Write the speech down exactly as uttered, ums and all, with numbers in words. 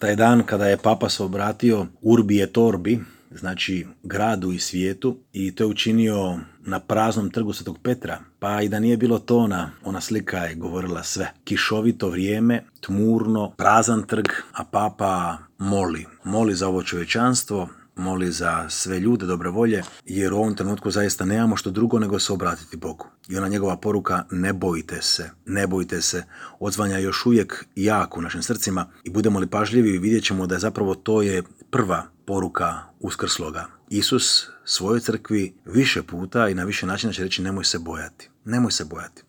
taj dan kada je papa se obratio Urbi et Orbi, znači gradu i svijetu, i to je učinio na praznom trgu Svetog Petra. Pa i da nije bilo tona, ona slika je govorila sve. Kišovito vrijeme, tmurno, prazan trg, a papa moli. Moli za ovo čovječanstvo, moli za sve ljude dobre volje, jer u ovom trenutku zaista nemamo što drugo nego se obratiti Bogu. I ona njegova poruka, ne bojte se, ne bojte se, odzvanja još uvijek jako u našim srcima, i budemo li pažljivi vidjet ćemo da je zapravo to je prva poruka uskrsloga. Isus svojoj crkvi više puta i na više načina će reći nemoj se bojati, nemoj se bojati.